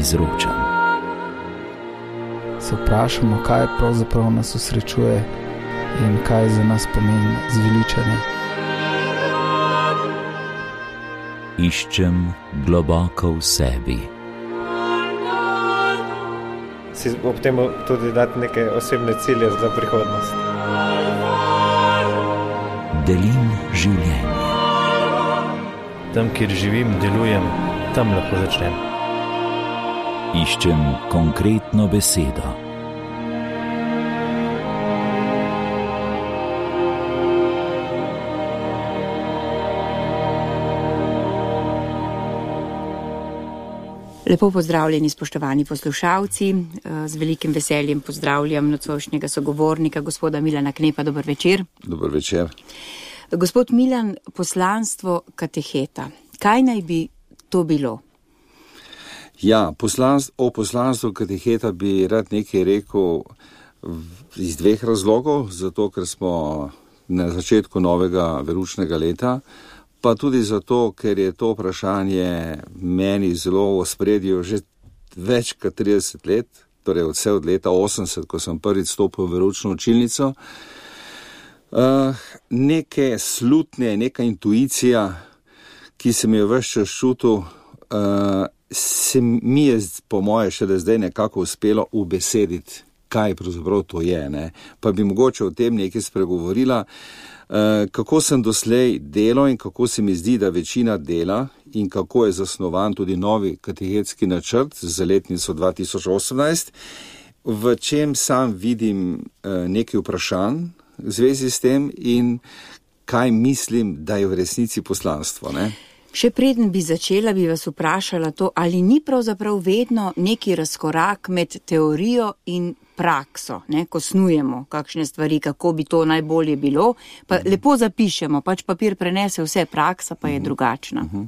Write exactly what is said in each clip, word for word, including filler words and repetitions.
izročam. Se vprašamo, kaj pravzaprav nas osrečuje in kaj za nas pomeni zveličanje. Iščem globoko v sebi. Si ob tem tudi dati neke osebne cilje za prihodnost. Delim življenje. Tam, kjer živim, delujem, tam lahko začnem. Iščem konkretno besedo. Lepo pozdravljeni, spoštovani poslušalci. Z velikim veseljem pozdravljam nocojšnjega sogovornika, gospoda Milana Knepa. Dober večer. Dober večer. Gospod Milan, poslanstvo kateheta. Kaj naj bi to bilo? Ja, poslanstvo, o poslanstvu kateheta bi rad nekaj rekel iz dveh razlogov, zato ker smo na začetku novega veroučnega leta, pa tudi zato, ker je to vprašanje meni zelo v ospredju že več kot trideset let, torej vse od leta osemdeset, ko sem prvič stopil v veroučno učilnico. Uh, neke slutnje, neka intuicija, ki se mi je ves čas čutil, uh, se mi je po moje še da zdaj nekako uspelo ubesediti, kaj pravzaprav to je, ne? Pa bi mogoče o tem nekaj spregovorila. Uh, kako sem doslej delal in kako se mi zdi, da večina dela in kako je zasnovan tudi novi katehetski načrt za letnico dva tisoč osemnajst, v čem sam vidim uh, nekaj vprašanj v zvezi s tem in kaj mislim, da je v resnici poslanstvo, ne? Še preden bi začela, bi vas vprašala to, ali ni pravzaprav vedno neki razkorak med teorijo in prakso, ne, ko snujemo kakšne stvari, kako bi to najbolje bilo, pa uh-huh. lepo zapišemo, pač papir prenese vse, praksa pa je uh-huh. drugačna. Uh-huh.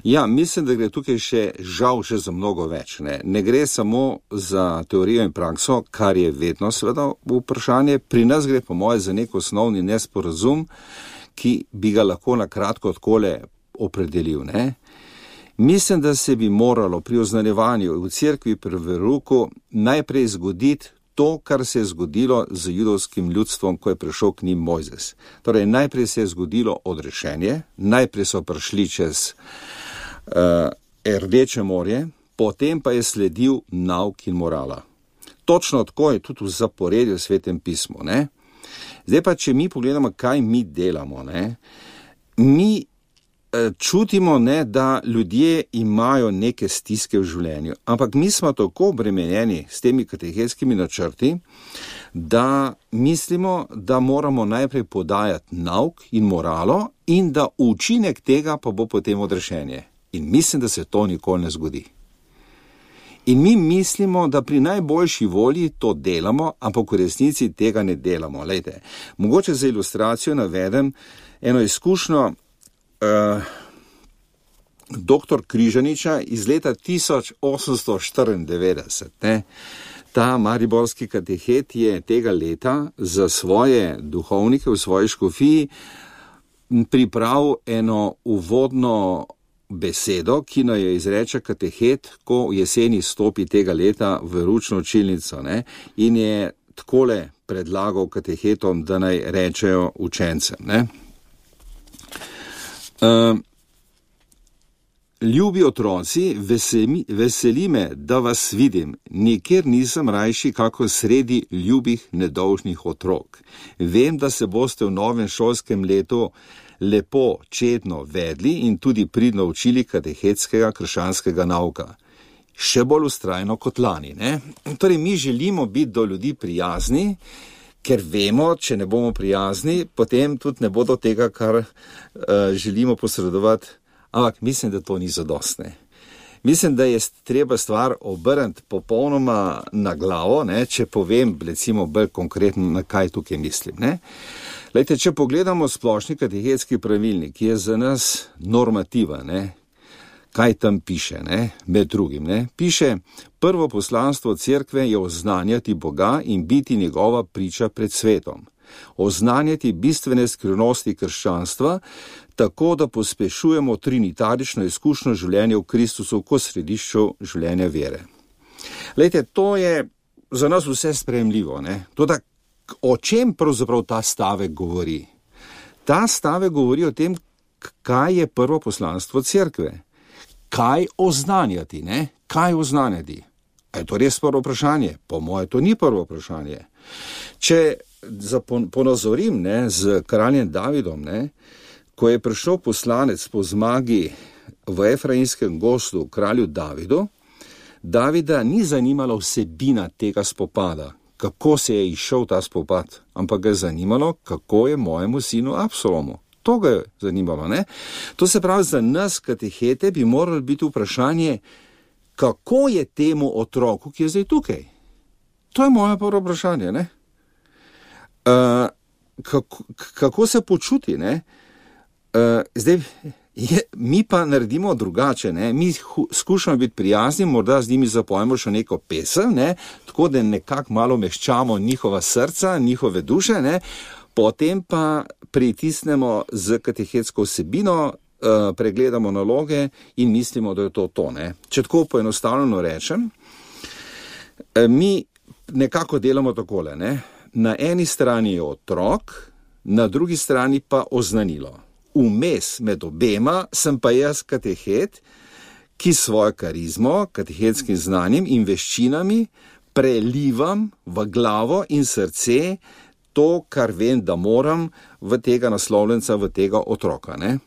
Ja, mislim, da gre tukaj še žal še za mnogo več. Ne, ne gre samo za teorijo in prakso, kar je vedno seveda vprašanje. Pri nas gre po moje za nek osnovni nesporazum, ki bi ga lahko na kratko takole opredelil. Ne. Mislim, da se bi moralo pri oznanjevanju v cerkvi pri verouku najprej zgoditi to, kar se je zgodilo z judovskim ljudstvom, ko je prišel k njim Mojzes. Torej, najprej se je zgodilo odrešenje, najprej so prišli čez uh, Rdeče morje, potem pa je sledil nauk in morala. Točno tako je tudi v zaporedju v Svetem pismu. Ne? Zdaj pa, če mi pogledamo, kaj mi delamo, ne? mi čutimo, ne, da ljudje imajo neke stiske v življenju, ampak mi smo tako obremenjeni s temi katehetskimi načrti, da mislimo, da moramo najprej podajati nauk in moralo in da učinek tega pa bo potem odrešenje. In mislim, da se to nikoli ne zgodi. In mi mislimo, da pri najboljši volji to delamo, ampak v resnici tega ne delamo. Lejte, mogoče za ilustracijo navedem eno izkušnjo Uh, doktor Križaniča iz leta tisoč osemsto štiriindevetdeset. Ne? Ta mariborski katehet je tega leta za svoje duhovnike v svoji škofiji pripravil eno uvodno besedo, ki naj jo izreče katehet, ko v jeseni stopi tega leta v veroučno učilnico. Ne? In je takole predlagal katehetom, da naj rečejo učencem. Ne? Uh, ljubi otroci, veseli, veseli me, da vas vidim, nikjer nisem rajši kako sredi ljubih nedolžnih otrok. Vem, da se boste v novem šolskem letu lepo, čedno vedli in tudi pridno učili katehetskega krščanskega nauka. Še bolj vztrajno kot lani. Ne? Torej, mi želimo biti do ljudi prijazni, ker vemo, če ne bomo prijazni, potem tudi ne bo do tega, kar uh, želimo posredovati. Ampak mislim, da to ni zadostne. Mislim, da je treba stvar obrniti popolnoma na glavo, ne, če povem, recimo, bolj konkretno, na kaj tukaj mislim. Ne. Lejte, če pogledamo splošni katehetski pravilnik, ki je za nas normativa, ne, kaj tam piše, ne, med drugim, ne, piše, prvo poslanstvo cerkve je oznanjati Boga in biti njegova priča pred svetom. oznanjati bistvene skrivnosti krščanstva, tako da pospešujemo trinitarično izkušnjo življenja v Kristusu kot središču življenja vere. Lejte, to je za nas vse sprejemljivo, ne? Toda o čem pravzaprav ta stavek govori? Ta stavek govori o tem, kaj je prvo poslanstvo cerkve. Kaj oznanjati, ne? Kaj oznanjati? Je to res prvo vprašanje? Po moje to ni prvo vprašanje. Če ponazorim, ne, z kraljem Davidom, ne, ko je prišel poslanec po zmagi v Efraimskem gozdu kralju Davidu, Davida ni zanimala vsebina tega spopada, kako se je izšel ta spopad, ampak ga je zanimalo, kako je mojemu sinu Absalomu. To ga je zanimalo, ne? To se pravi, za nas katehete bi moralo biti vprašanje, kako je temu otroku, ki je zdaj tukaj. To je moje prvo vprašanje, ne? Uh, kako, kako se počuti, ne? Uh, zdaj, je, mi pa naredimo drugače, ne? Mi hu, skušamo biti prijazni, morda z njimi zapojemo še neko pesem, ne? Tako da nekako malo meščamo njihova srca, njihove duše, ne? Potem pa pritisnemo z katehetsko vsebino, uh, pregledamo naloge in mislimo, da je to to, ne? Če tako poenostavljeno rečem, uh, mi nekako delamo takole, ne? Na eni strani je otrok, na drugi strani pa oznanilo. Vmes med obema sem pa jaz katehet, ki svojo karizmo, katehetskim znanjem in veščinami prelivam v glavo in srce to, kar vem, da moram v tega naslovljenca, v tega otroka, ne?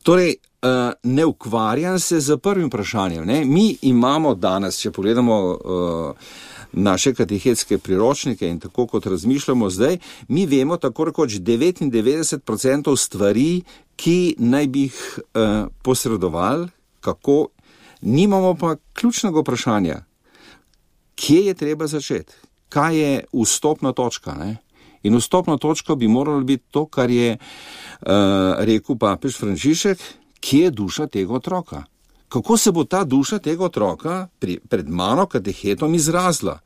Torej, ne ukvarjam se z prvim vprašanjem, ne? Mi imamo danes, če pogledamo uh, naše katehetske priročnike in tako kot razmišljamo zdaj, mi vemo tako rekoč devetindevetdeset procentov stvari, ki naj bi jih uh, posredovali, kako, nimamo pa ključnega vprašanja, kje je treba začeti, kaj je vstopna točka, ne? In vstopna točka bi morala biti to, kar je uh, rekel papež Frančišek, kje je duša tega otroka. Kako se bo ta duša tega otroka pri, pred mano katehetom izrazila?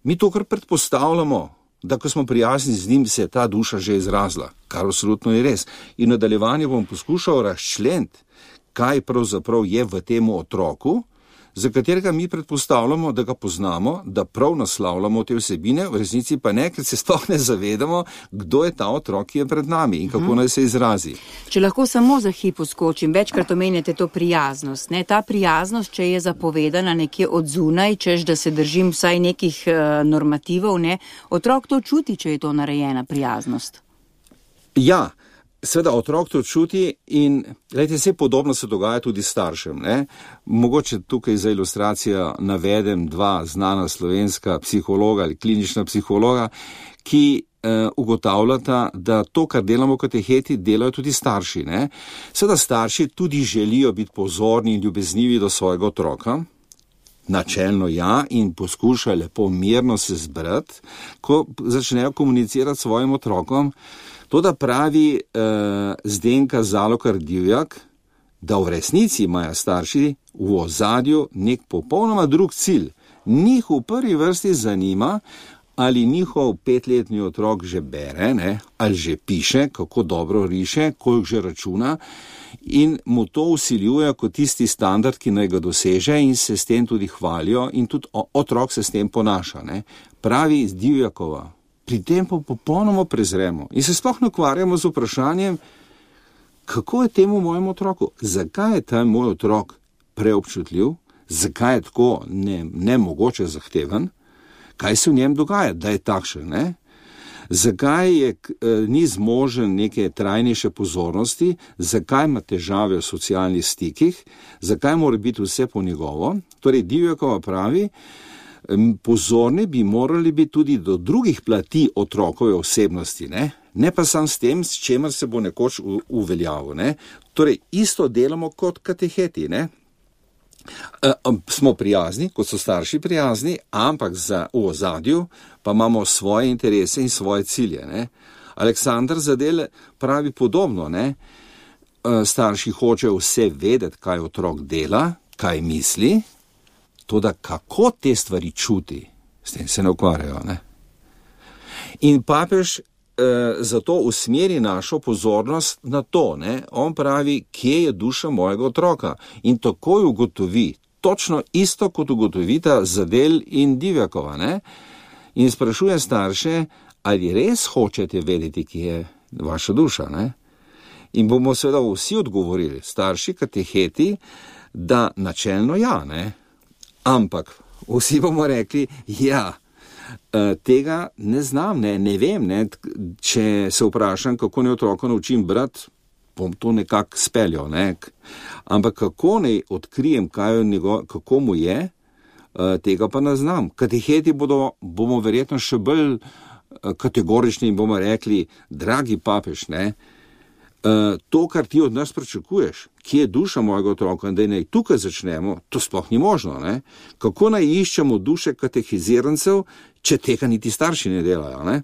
Mi to kar predpostavljamo, da ko smo prijazni z njim, se je ta duša že izrazila, kar absolutno je res. In v nadaljevanju bom poskušal razčleniti, kaj pravzaprav je v tem otroku, za katerega mi predpostavljamo, da ga poznamo, da prav naslavljamo te vsebine, v resnici pa ne, ker se sploh ne zavedamo, kdo je ta otrok, ki je pred nami in kako naj se izrazi. Če lahko samo za hip uskočim, večkrat omenjate to prijaznost. Ne? Ta prijaznost, če je zapovedana nekje od zunaj, češ da se držim vsaj nekih uh, normativov, ne? Otrok to čuti, če je to narejena prijaznost. Ja. Seveda otrok to čuti in glejte, vse podobno se dogaja tudi staršem, ne? Mogoče tukaj za ilustracijo navedem dva znana slovenska psihologa ali klinična psihologa, ki eh, ugotavljata, da to, kar delamo v kateheti, delajo tudi starši, ne? Seveda starši tudi želijo biti pozorni in ljubeznivi do svojega otroka, načelno ja, in poskušajo lepo mirno se zbrati, ko začnejo komunicirati s svojim otrokom. To, da pravi uh, Zdenka Zalokar Divjak, da v resnici imajo starši v ozadju nek popolnoma drug cilj. Njih v prvi vrsti zanima, ali njihov petletni otrok že bere, ne, ali že piše, kako dobro riše, koliko že računa in mu to vsiljuje kot tisti standard, ki naj ga doseže in se s tem tudi hvalijo in tudi otrok se s tem ponaša. Ne. Pravi Divjakova. Pri tem pa popolnoma prezremo in se sploh ne ukvarjamo z vprašanjem, kako je temu mojemu otroku, zakaj je ta moj otrok preobčutljiv, zakaj je tako ne, nemogoče zahteven, kaj se v njem dogaja, da je takšen, ne? Zakaj je, ni zmožen neke trajnejše pozornosti, zakaj ima težave v socialnih stikih, zakaj mora biti vse po njegovo. Torej Divjakova pravi, pozorni bi morali biti tudi do drugih plati otrokove osebnosti, ne, ne pa sam s tem, s čemer se bo nekoč uveljavil, ne. Torej, isto delamo kot kateheti, ne. E, smo prijazni, kot so starši prijazni, ampak za v ozadju pa imamo svoje interese in svoje cilje, ne. Aleksandar Zadel pravi podobno, ne. E, starši hočejo vse vedeti, kaj otrok dela, kaj misli, toda kako te stvari čuti, s tem se ne ukvarjajo, ne? In papež eh, zato usmeri našo pozornost na to, ne? On pravi, kje je duša mojega otroka in takoj ugotovi, točno isto kot ugotovita Zadel in Divjakova, ne? In sprašuje starše, ali res hočete vedeti, kje je vaša duša, ne? In bomo seveda vsi odgovorili, starši, kateheti, da načelno ja, ne? Ampak vsi bomo rekli, ja, tega ne znam, ne, ne vem, ne? Če se vprašam, kako ne otroka naučim brati, bom to nekako speljal, ne? Ampak kako ne odkrijem, kaj njego, kako mu je, tega pa ne znam. Kateheti bodo, bomo verjetno še bolj kategorični in bomo rekli, dragi papež, ne, to, kar ti od nas pričakuješ, kje je duša mojega otroka, da naj tukaj začnemo, to sploh ni možno, ne. Kako naj iščemo duše katehizirancev, če tega niti starši ne delajo, ne.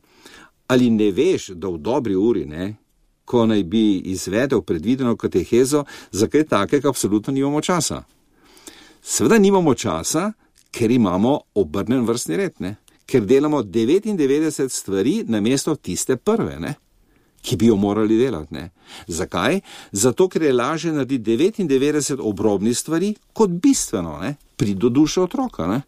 Ali ne veš, da v dobri uri, ne, ko naj bi izvedel predvideno katehezo, za kaj takega absolutno nimamo časa. Seveda nimamo časa, ker imamo obrnen vrstni red, ne? Ker delamo devetindevetdeset stvari namesto tiste prve, ne? Ki bi jo morali delati. Ne? Zakaj? Zato, ker je lažje narediti devetindevetdeset obrobnih stvari kot bistveno, ne? Pridi do duše otroka. Ne?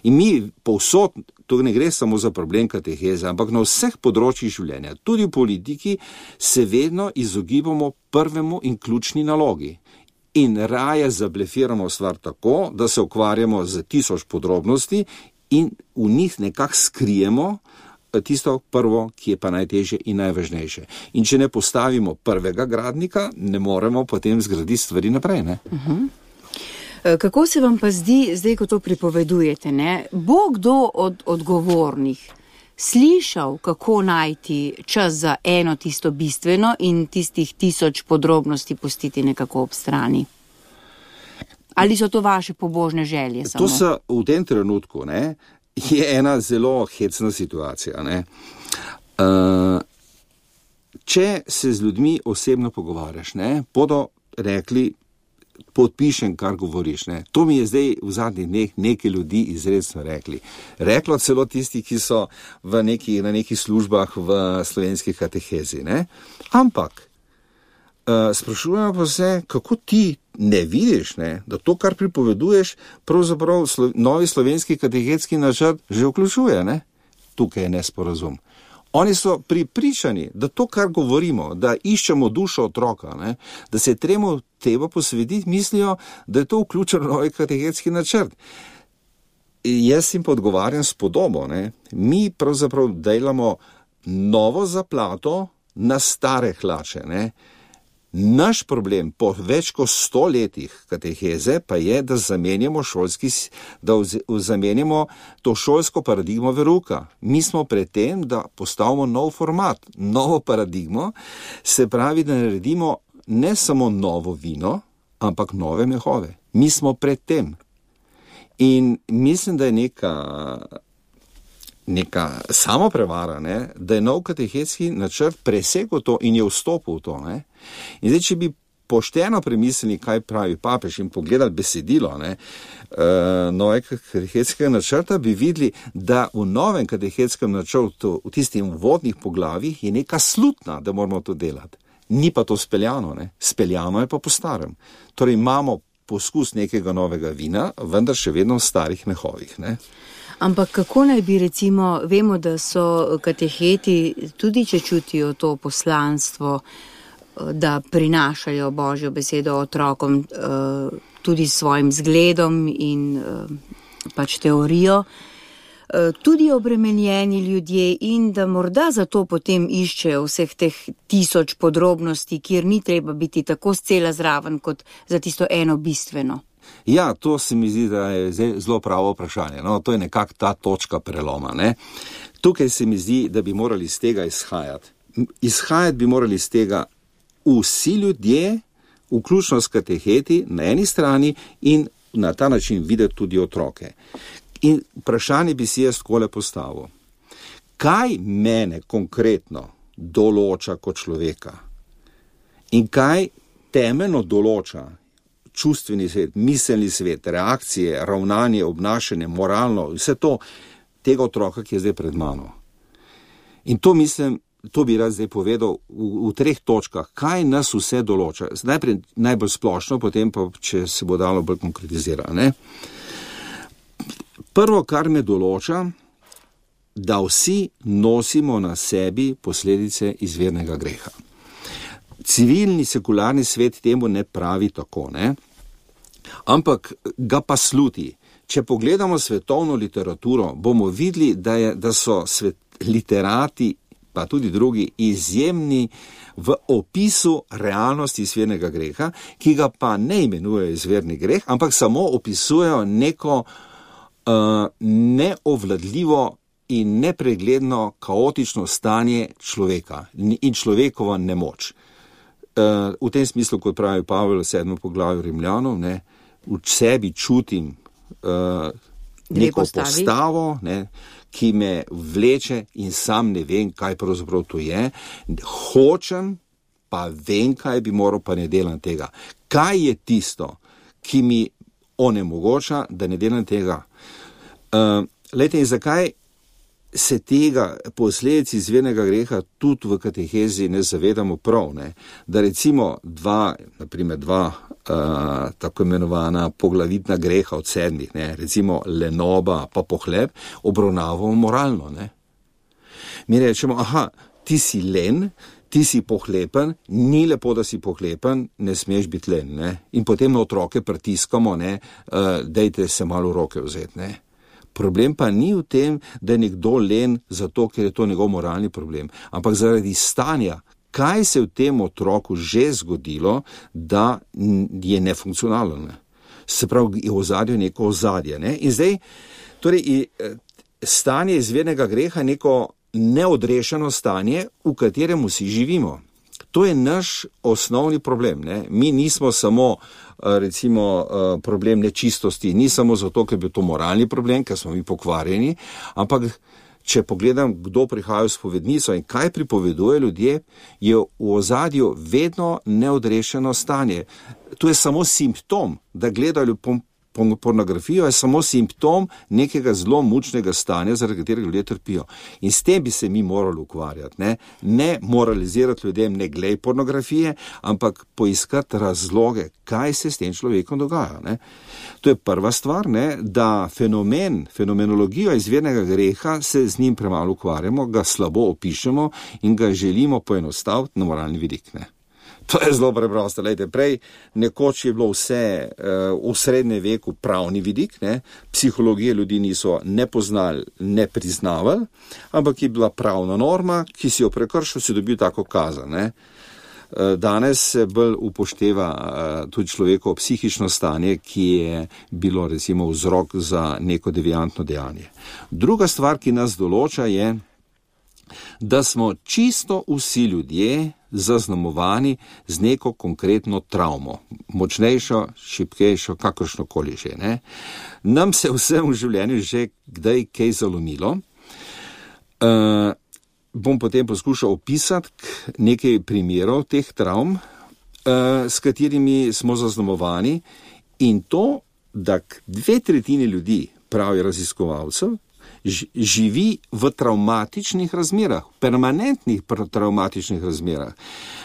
In mi povsod, to ne gre samo za problem kateheze, ampak na vseh področjih življenja, tudi v politiki, se vedno izogibamo prvemu in ključni nalogi. In raje zablefiramo stvar tako, da se ukvarjamo z tisoč podrobnosti in v njih nekako skrijemo tisto prvo, ki je pa najtežje in najvažnejše. In če ne postavimo prvega gradnika, ne moremo potem zgraditi stvari naprej. Ne? Uh-huh. Kako se vam pa zdi, zdaj, ko to pripovedujete, ne? Bo kdo od odgovornih slišal, kako najti čas za eno tisto bistveno in tistih tisoč podrobnosti pustiti nekako ob strani? Ali so to vaše pobožne želje samo? To so v tem trenutku, ne, je ena zelo hecna situacija. Ne. Uh, če se z ljudmi osebno pogovarjaš, ne, bodo rekli, podpišem, kar govoriš. Ne. To mi je zdaj v zadnjih dneh nekaj ljudi izredno rekli. Reklo celo tisti, ki so v neki, na nekih službah v slovenski katehezi. Ne. Ampak uh, sprašujemo pa se, kako ti ne vidiš, ne, da to, kar pripoveduješ, pravzaprav slo, novi slovenski katehetski načrt že vključuje. Ne. Tukaj je nesporazum. Oni so pripričani, da to, kar govorimo, da iščemo dušo otroka, ne, da se tremo treba posvetiti, mislijo, da je to vključeno novi katehetski načrt. Jaz jim pa odgovarjam s podobo. Ne. Mi pravzaprav delamo novo zaplato na stare hlače. Ne. Naš problem po več kot sto letih kateheze pa je, da zamenjamo, šolski, da zamenjamo to šolsko paradigmo veruka. Mi smo pred tem, da postavimo nov format, novo paradigmo, se pravi, da naredimo ne samo novo vino, ampak nove mehove. Mi smo pred tem. In mislim, da je neka, neka samoprevara, ne, da je nov katehetski načrt presegel to in je vstopil v to. Ne. In zdaj, če bi pošteno premislili, kaj pravi papež in pogledali besedilo ne, uh, novega katehetskega načrta, bi videli, da v novem katehetskem načrtu, v tistih uvodnih poglavjih, je neka slutna, da moramo to delati. Ni pa to speljano, ne. Speljano je pa po starem. Torej imamo poskus nekega novega vina, vendar še vedno v starih mehovih. Ne. Ampak kako naj bi recimo, vemo, da so kateheti, tudi če čutijo to poslanstvo, da prinašajo Božjo besedo otrokom tudi s svojim zgledom in pač teorijo, tudi obremenjeni ljudje in da morda zato potem iščejo vseh teh tisoč podrobnosti, kjer ni treba biti tako scela zraven kot za tisto eno bistveno. Ja, to se mi zdi, da je zelo pravo vprašanje. No, to je nekako ta točka preloma. Ne? Tukaj se mi zdi, da bi morali iz tega izhajati. Izhajati bi morali iz tega vsi ljudje, vključno s kateheti na eni strani in na ta način videti tudi otroke. In vprašanje bi si jaz takole postavil. Kaj mene konkretno določa kot človeka? In kaj temeljno določa čustveni svet, miselni svet, reakcije, ravnanje, obnašanje, moralno, vse to tega otroka, ki je zdaj pred mano? In to mislim, to bi rad zdaj povedal v, v treh točkah, kaj nas vse določa. Najprej najbolj splošno, potem pa, če se bo dalo bolj konkretizirati, ne. Prvo, kar me določa, da vsi nosimo na sebi posledice izvirnega greha. Civilni, sekularni svet temu ne pravi tako, ne? Ampak ga pa sluti. Če pogledamo svetovno literaturo, bomo videli, da, je, da so svet, literati, pa tudi drugi, izjemni v opisu realnosti izvirnega greha, ki ga pa ne imenujejo izvirni greh, ampak samo opisujejo neko uh, neovladljivo in nepregledno kaotično stanje človeka in človekova nemoč. Uh, v tem smislu, kot pravi Pavel v sedmem poglavju Rimljanov, ne, v sebi čutim uh, neko postavo, ne, ki me vleče in sam ne vem, kaj pravzaprav to je. Hočem, pa vem, kaj bi moral, pa ne delam tega. Kaj je tisto, ki mi onemogoča, da ne delam tega? Uh, lejte, in zakaj se tega posledic izvirnega greha tudi v katehezi ne zavedamo prav, ne? Da recimo dva, naprimer dva uh, tako imenovana poglavitna greha od sedmih, ne? Recimo lenoba pa pohleb, obravnavamo moralno, ne? Mi rečemo, aha, ti si len, ti si pohlepen, ni lepo, da si pohlepen, ne smeš biti len, ne? In potem na otroke pritiskamo, ne, uh, dejte se malo v roke vzeti, ne? Problem pa ni v tem, da je nekdo len zato, ker je to njegov moralni problem, ampak zaradi stanja, kaj se v tem otroku že zgodilo, da je nefunkcionalen. Se pravi, je v ozadju neko ozadje. Ne? In zdaj, torej, stanje izvirnega greha je neko neodrešeno stanje, v katerem vsi živimo. To je naš osnovni problem. Ne? Mi nismo samo recimo problem nečistosti, ni samo zato, ker je to moralni problem, ker smo mi pokvarjeni, ampak če pogledam, kdo prihaja v spovednico in kaj pripoveduje ljudje, je v ozadju vedno neodrešeno stanje. To je samo simptom, da gledajo pornografijo, je samo simptom nekega zelo mučnega stanja, zaradi katerega ljudje trpijo. In s tem bi se mi morali ukvarjati. Ne, ne moralizirati ljudem, ne glej pornografije, ampak poiskati razloge, kaj se s tem človekom dogaja. Ne. To je prva stvar, ne, da fenomen, fenomenologijo izvirnega greha se z njim premalo ukvarjamo, ga slabo opišemo in ga želimo poenostaviti na moralni vidik. Ne. To je zelo preprosto. Lejte, prej nekoč je bilo vse uh, v srednjem veku pravni vidik, ne? Psihologije ljudi niso ne poznali, ne priznavali, ampak je bila pravna norma, ki si jo prekršil, si dobil tako kazen. Ne? Uh, danes se bolj upošteva uh, tudi človekovo psihično stanje, ki je bilo recimo vzrok za neko deviantno dejanje. Druga stvar, ki nas določa, je, da smo čisto vsi ljudje zaznamovani z neko konkretno travmo, močnejšo, šibkejšo, kakršnokoli že. Ne? Nam se vsem v življenju že kdaj kaj zalomilo. Uh, bom potem poskušal opisati nekaj primerov teh travm, uh, s katerimi smo zaznamovani, in to, da dve tretjini ljudi, pravi raziskovalcev, živi v travmatičnih razmerah, permanentnih travmatičnih razmerah.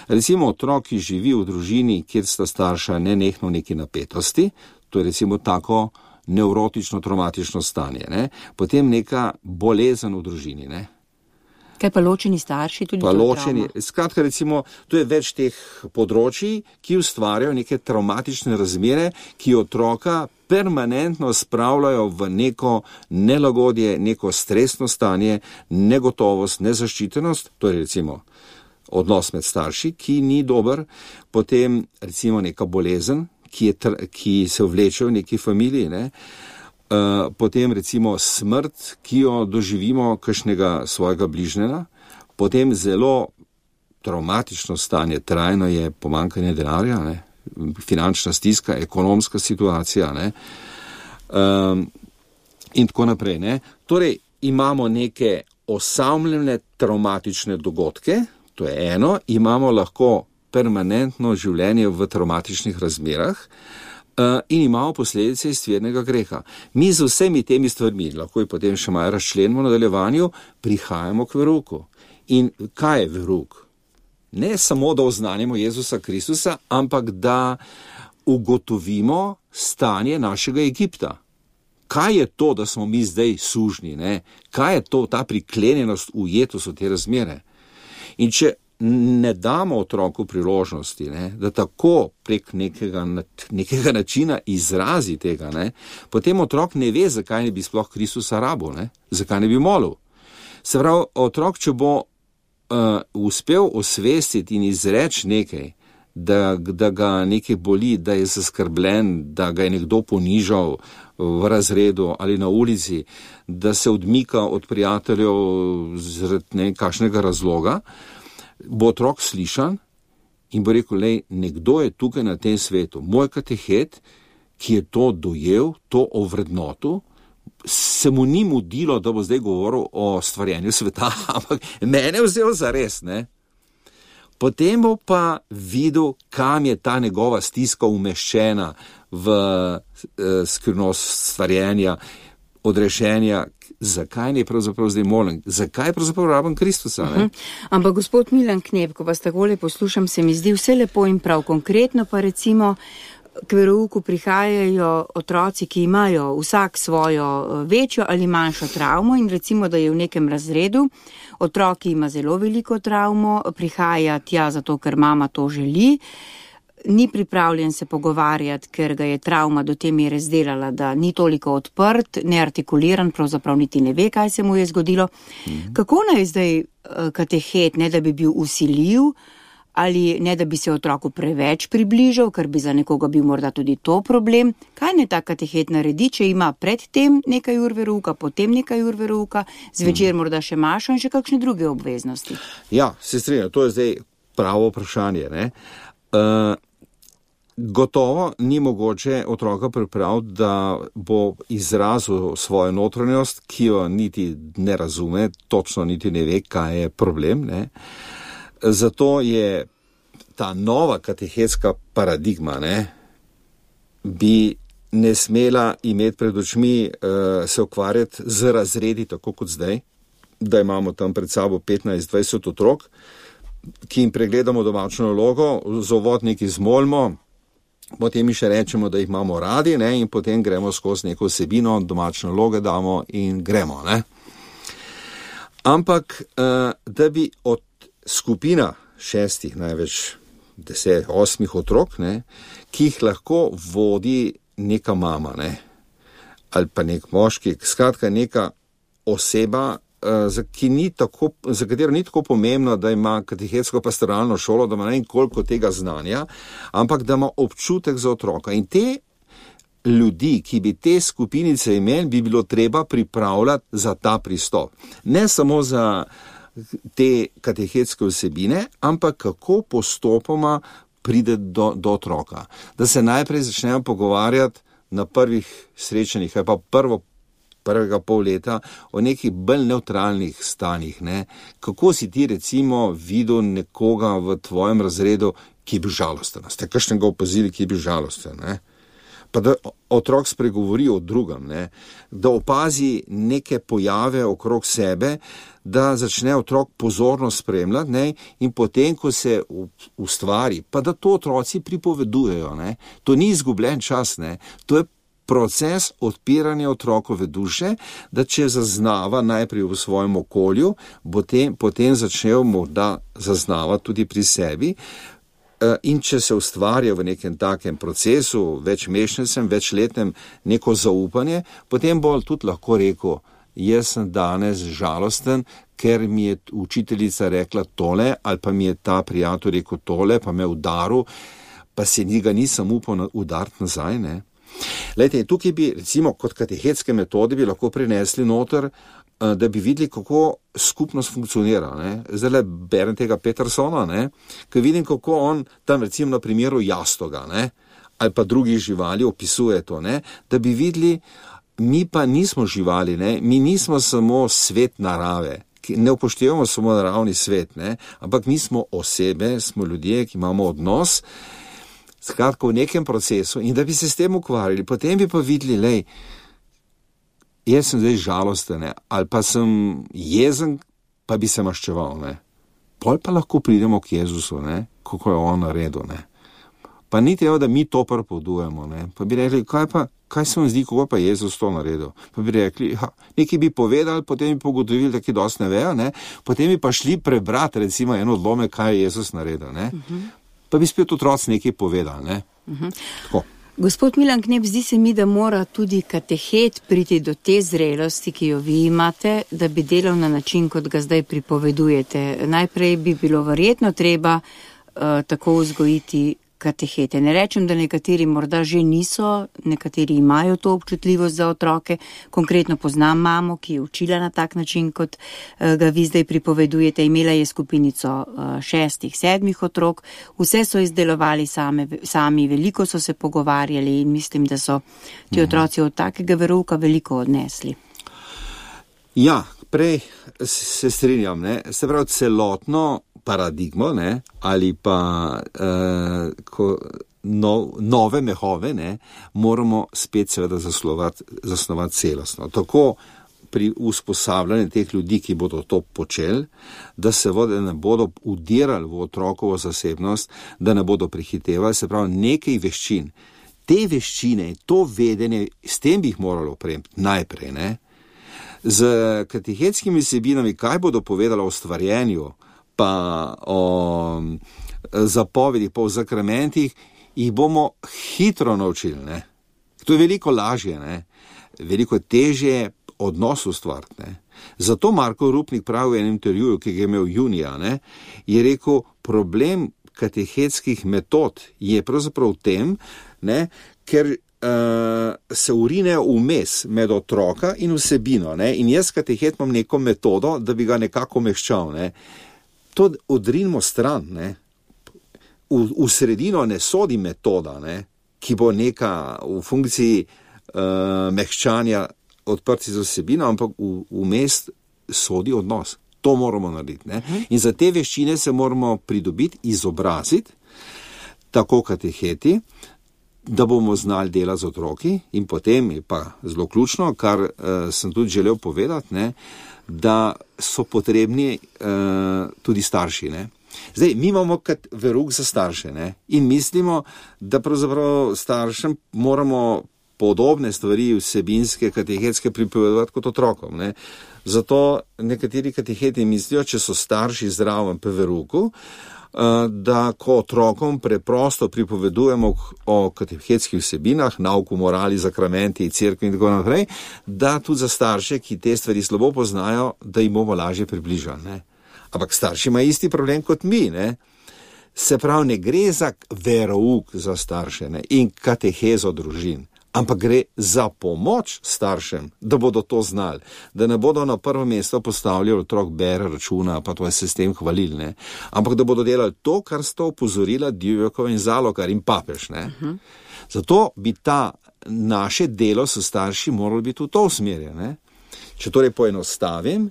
Recimo otrok, ki živi v družini, kjer sta starša nenehno neki napetosti, to je recimo tako nevrotično traumatično stanje, ne? Potem neka bolezen v družini, ne? Kaj pa ločeni starši, tudi pa to ločeni, travma? Skratka, recimo, to je več teh področji, ki ustvarjajo neke traumatične razmere, ki otroka permanentno spravljajo v neko nelagodje, neko stresno stanje, negotovost, nezaščitenost, to je recimo odnos med starši, ki ni dober, potem recimo neka bolezen, ki, je, ki se vleče v neki familiji, ne? Uh, potem recimo smrt, ki jo doživimo kakšnega svojega bližnjega, potem zelo traumatično stanje, trajno je pomanjkanje denarja, ne? Finančna stiska, ekonomska situacija, ne? Um, in tako naprej. Ne? Torej imamo neke osamljene traumatične dogodke, to je eno, imamo lahko permanentno življenje v traumatičnih razmerah, Uh, in imamo posledice izvirnega greha. Mi z vsemi temi stvarmi, lahko jih potem še malo razčlenimo v nadaljevanju, prihajamo k verouku. In kaj je verouk? Ne samo, da oznanimo Jezusa Kristusa, ampak da ugotovimo stanje našega Egipta. Kaj je to, da smo mi zdaj sužnji? Ne? Kaj je to, ta priklenjenost, ujetost v te razmere? In če ne damo otroku priložnosti, ne, da tako prek nekega, nekega načina izrazi tega, ne, potem otrok ne ve, zakaj ne bi sploh Kristusa rabil, ne, zakaj ne bi molil. Se pravi, otrok, če bo uh, uspel osvestiti in izreči nekaj, da, da ga nekaj boli, da je zaskrbljen, da ga je nekdo ponižal v razredu ali na ulici, da se odmika od prijateljev zaradi ne kakšnega razloga, bo otrok slišan in bo rekel, lej, nekdo je tukaj na tem svetu, moj katehet, ki je to dojel, to ovrednotil, se mu ni mudilo, da bo zdaj govoril o stvarjenju sveta, ampak mene je vzel za res, ne. Potem bo pa videl, kam je ta njegova stiska umeščena v eh, skrivnost stvarjenja, odrešenja, zakaj ne pravzaprav zdaj molim, zakaj pravzaprav rabim Kristusa, ne? Uh-huh. Ampak gospod Milan Knep, ko vas takole poslušam, se mi zdi vse lepo in prav. Konkretno pa recimo k verouku prihajajo otroci, ki imajo vsak svojo večjo ali manjšo travmo in recimo, da je v nekem razredu, otrok, ki ima zelo veliko travmo, prihaja tja zato, ker mama to želi, ni pripravljen se pogovarjati, ker ga je travma do te mere zdelala, da ni toliko odprt, neartikuliran, pravzaprav niti ne ve, kaj se mu je zgodilo. Mm-hmm. Kako naj zdaj katehet, ne da bi bil vsiljiv, ali ne da bi se otroku preveč približal, ker bi za nekoga bil morda tudi to problem? Kaj ne ta katehet naredi, če ima pred tem nekaj ur verouka, potem nekaj ur verouka, zvečer mm-hmm. morda še mašo in še kakšne druge obveznosti? Ja, se strinjam, to je zdaj pravo vprašanje, ne? Uh, Gotovo ni mogoče otroka pripraviti, da bo izrazil svojo notranjost, ki jo niti ne razume, točno niti ne ve, kaj je problem, ne. Zato je ta nova katehetska paradigma, ne, bi ne smela imeti pred očmi uh, se ukvarjati z razredi, tako kot zdaj, da imamo tam pred sabo petnajst dvajset otrok, ki jim pregledamo domačno nalogo, za uvod nekaj zmolimo, potem mi še rečemo, da jih imamo radi, ne, in potem gremo skozi neko vsebino, domačne naloge damo in gremo, ne. Ampak, uh, da bi od skupina šestih, največ deset, osmih otrok, ne, ki jih lahko vodi neka mama, ne, ali pa nek moški, skratka neka oseba, Za, ki ni tako, za katero ni tako pomembno, da ima katehetsko pastoralno šolo, da ima ne vem koliko tega znanja, ampak da ima občutek za otroka. In te ljudi, ki bi te skupinice imeli, bi bilo treba pripravljati za ta pristop. Ne samo za te katehetske vsebine, ampak kako postopoma pride do, do otroka. Da se najprej začnemo pogovarjati na prvih srečanjih, ali pa prvo prvega pol leta, o nekih bolj neutralnih stanjih, ne. Kako si ti recimo videl nekoga v tvojem razredu, ki je bil žalosten? Ste kakšnega opazili, ki je bil žalosten, ne? Pa da otrok spregovori o drugem, ne. Da opazi neke pojave okrog sebe, da začne otrok pozorno spremljati, ne, in potem, ko se ustvari, pa da to otroci pripovedujejo, ne. To ni izgubljen čas, ne. To je proces odpiranja otrokove duše, da če zaznava najprej v svojem okolju, potem, potem začnejo morda zaznavati tudi pri sebi, in če se ustvarja v nekem takem procesu, večmeščnem, večletnem neko zaupanje, potem bo tudi lahko rekel, jaz sem danes žalosten, ker mi je učiteljica rekla tole, ali pa mi je ta prijatelj rekel tole, pa me udaril, pa se njega nisem upal udariti nazaj, ne. Lejte, tukaj bi, recimo, kot katehetske metode bi lahko prinesli noter, da bi videli, kako skupnost funkcionira, ne. Zdaj berem tega Petersona, ne, ko vidim, kako on tam, recimo, na primeru jastoga, ne, ali pa drugih živali opisuje to, ne, da bi videli, mi pa nismo živali, ne, mi nismo samo svet narave, ne upoštevamo samo naravni svet, ne, ampak mi smo osebe, smo ljudje, ki imamo odnos, skratka v nekem procesu, in da bi se s tem ukvarjali, potem bi pa videli, lej, jaz sem zdaj žalosten, ali pa sem jezen, pa bi se maščeval, ne. Pol pa lahko pridemo k Jezusu, ne, kako je on naredil, ne. Pa ni treba, da mi to prepovedujemo, ne. Pa bi rekli, kaj pa, kaj se vam zdi, kako pa Jezus to naredil? Pa bi rekli, ha, nekaj bi povedali, potem bi pogotovili, da ki dosti ne vejo, ne. Potem bi pa šli prebrati, recimo, eno odlomek, kaj je Jezus naredil, ne. Uh-huh. Pa bi spet otroci nekaj povedali, ne. Uh-huh. Tako. Gospod Milan Knep, zdi se mi, da mora tudi katehet priti do te zrelosti, ki jo vi imate, da bi delal na način, kot ga zdaj pripovedujete. Najprej bi bilo verjetno treba uh, tako vzgojiti katehete. Ne rečem, da nekateri morda že niso, nekateri imajo to občutljivost za otroke. Konkretno poznam mamo, ki je učila na tak način, kot uh, ga vi zdaj pripovedujete. Imela je skupinico uh, šestih, sedmih otrok. Vse so izdelovali same, sami, veliko so se pogovarjali in mislim, da so ti otroci od takega verouka veliko odnesli. Ja, prej se strinjam, ne. Se pravi, celotno paradigmo, ne, ali pa uh, ko, no, nove mehove, ne, moramo spet seveda zaslovati, zasnovati celostno. Tako pri usposabljanju teh ljudi, ki bodo to počeli, da se vode ne bodo udirali v otrokovo zasebnost, da ne bodo prehitevali, se pravi nekaj veščin. Te veščine, to vedenje, s tem bi jih moralo opremiti najprej, ne. Z katehetskimi vsebinami, kaj bodo povedali o stvarjenju, pa o zapovedi, pa o zakramentih, jih bomo hitro naučili, ne. To je veliko lažje, ne. Veliko težje odnos ustvariti, ne. Zato Marko Rupnik pravi v enem intervjuju, ki ga je imel junija, ne, je rekel, problem katehetskih metod je pravzaprav v tem, ne, ker Uh, se urine vmes med otroka in vsebino, ne? In jaz katehet imam neko metodo, da bi ga nekako meščal, ne? To odrinimo stran, ne? V, v sredino ne sodi metoda, ne? Ki bo neka v funkciji uh, mehčanja odprti za vsebino, ampak v, vmes sodi odnos. To moramo narediti, ne? In za te veščine se moramo pridobiti, izobraziti, tako kateheti, da bomo znali delati z otroki in potem je pa zelo ključno, kar uh, sem tudi želel povedati, ne, da so potrebni uh, tudi starši, ne. Zdaj, mi imamo kot verouk za starše, ne, in mislimo, da pravzaprav staršem moramo podobne stvari vsebinske, katehetske pripovedovati kot otrokom, ne. Zato nekateri kateheti mislijo, če so starši zraven pri verouku, da ko otrokom preprosto pripovedujemo o katehetskih vsebinah, nauku, morali, zakramenti, cerkvi in tako naprej, da tudi za starše, ki te stvari slabo poznajo, da jim bomo lažje približali, ne. Ampak starši imajo isti problem kot mi, ne. Se pravi, ne gre za verouk za starše, ne, in katehezo družin, ampak gre za pomoč staršem, da bodo to znali, da ne bodo na prvo mesto postavljali otrok bere računa, pa to je se s tem hvalili, ne, ampak da bodo delali to, kar sta opozorila Djurjevkova in Zalokar in papež, ne. Uh-huh. Zato bi ta naše delo s starši moralo biti v to usmerjeno, ne. Če torej poenostavim,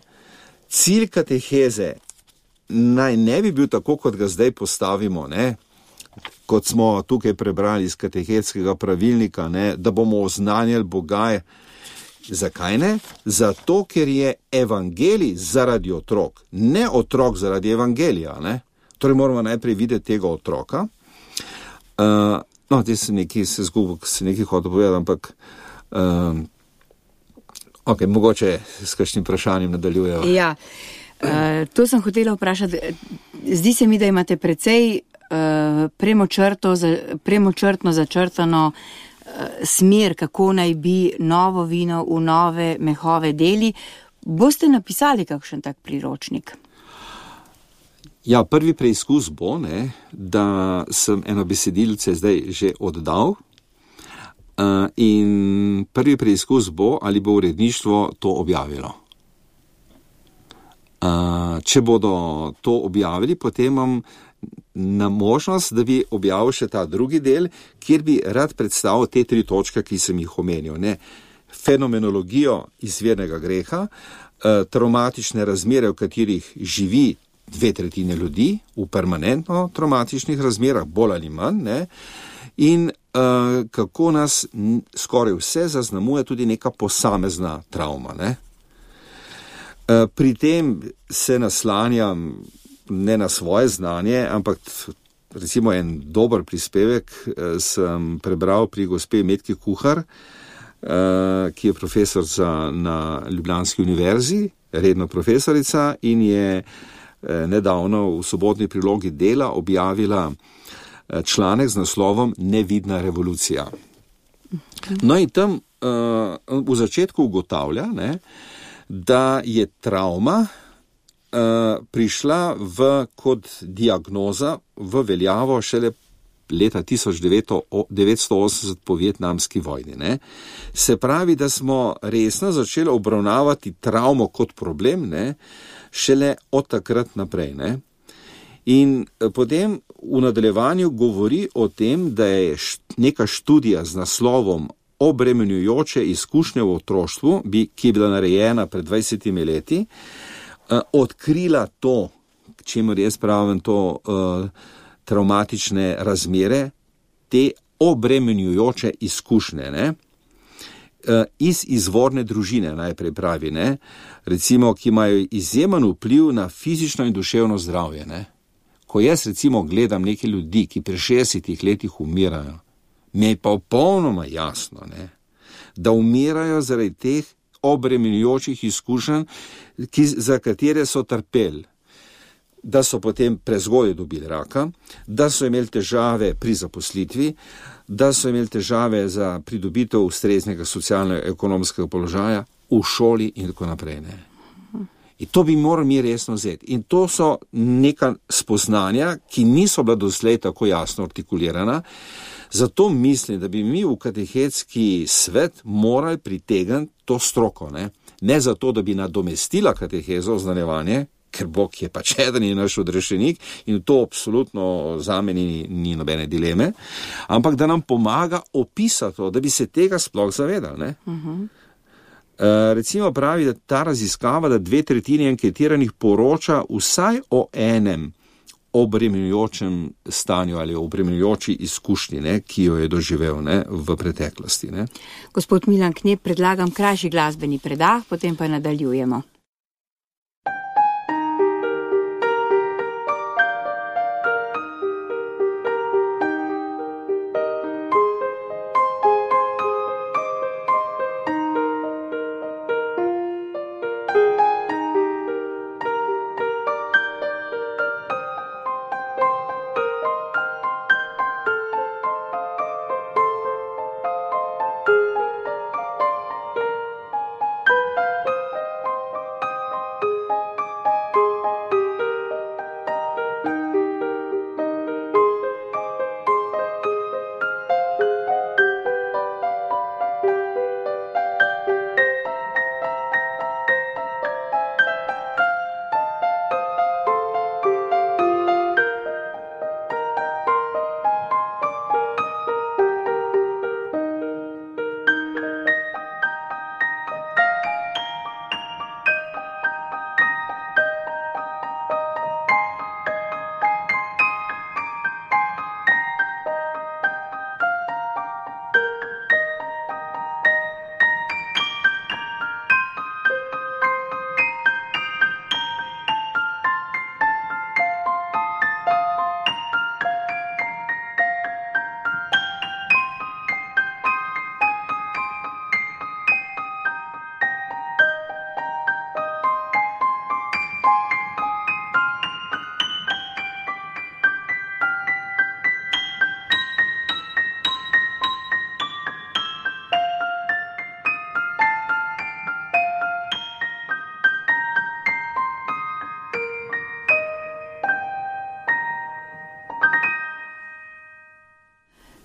cilj kateheze naj ne bi bil tako, kot ga zdaj postavimo, ne, kot smo tukaj prebrali iz katehetskega pravilnika, ne, da bomo oznanjali Boga. Zakaj ne? Zato, ker je evangelij zaradi otrok, ne otrok zaradi evangelija, ne. Torej moramo najprej videti tega otroka. Uh, no, te se nekaj se zgubil, se nekaj hotel povedati, ampak uh, ok, mogoče s kakšnim vprašanjem nadaljujejo. Ja, uh, to sem hotela vprašati. Zdi se mi, da imate precej Premočrto, premočrtno začrtano smer, kako naj bi novo vino v nove mehove deli. Boste napisali kakšen tak priročnik? Ja, prvi preizkus bo, ne, da sem eno besedilce zdaj že oddal uh, in prvi preizkus bo, ali bo uredništvo to objavilo. Uh, če bodo to objavili, potem imam na možnost, da bi objavil še ta drugi del, kjer bi rad predstavil te tri točke, ki sem jih omenil, ne. Fenomenologijo izvirnega greha, eh, traumatične razmere, v katerih živi dve tretjine ljudi, v permanentno traumatičnih razmerah, bolj ali manj, ne, in eh, kako nas skoraj vse zaznamuje tudi neka posamezna travma, ne. Pri tem se naslanjam ne na svoje znanje, ampak recimo en dober prispevek sem prebral pri gospe Metki Kuhar, ki je profesor na Ljubljanski univerzi, redno profesorica, in je nedavno v sobotni prilogi Dela objavila članek z naslovom Nevidna revolucija. No in tam v začetku ugotavlja, ne, da je travma prišla v, kot diagnoza v veljavo šele leta tisoč devetsto osemdeset po vietnamski vojni. Ne. Se pravi, da smo resno začeli obravnavati travmo kot problem, ne, šele od takrat naprej. Ne. In potem v nadaljevanju govori o tem, da je neka študija z naslovom Obremenjujoče izkušnje v otroštvu, ki je bila narejena pred dvajsetimi leti, odkrila to, k čemer jaz pravim to uh, travmatične razmere, te obremenjujoče izkušnje, ne? Uh, iz izvorne družine najprej pravi, ne? Recimo, ki imajo izjemen vpliv na fizično in duševno zdravje. Ne? Ko jaz recimo gledam neke ljudi, ki pri šestdesetih letih umirajo, mi je pa popolnoma jasno, ne? Da umirajo zaradi teh obremenjujočih izkušenj, ki, za katere so trpeli, da so potem prezgodaj dobili raka, da so imeli težave pri zaposlitvi, da so imeli težave za pridobitev ustreznega socialno-ekonomskega položaja v šoli in tako naprej. Ne. In to bi morali mi resno vzeti. In to so neka spoznanja, ki niso bila doslej tako jasno artikulirana. Zato mislim, da bi mi v katehetski svet morali pritegniti to stroko. Ne, ne zato, da bi nadomestila katehezo, oznanjevanje, ker Bog je pač eden in naš odrešenik in to absolutno zame ni, ni nobene dileme, ampak da nam pomaga opisati to, da bi se tega sploh zavedali. Ne? Uh-huh. Uh, recimo pravi, da ta raziskava, da dve tretjini anketiranih poroča vsaj o enem obremenjujočem stanju ali obremenjujoči izkušnji, ne, ki jo je doživel, ne, v preteklosti. Ne. Gospod Milan Knep, predlagam krajši glasbeni predah, potem pa nadaljujemo.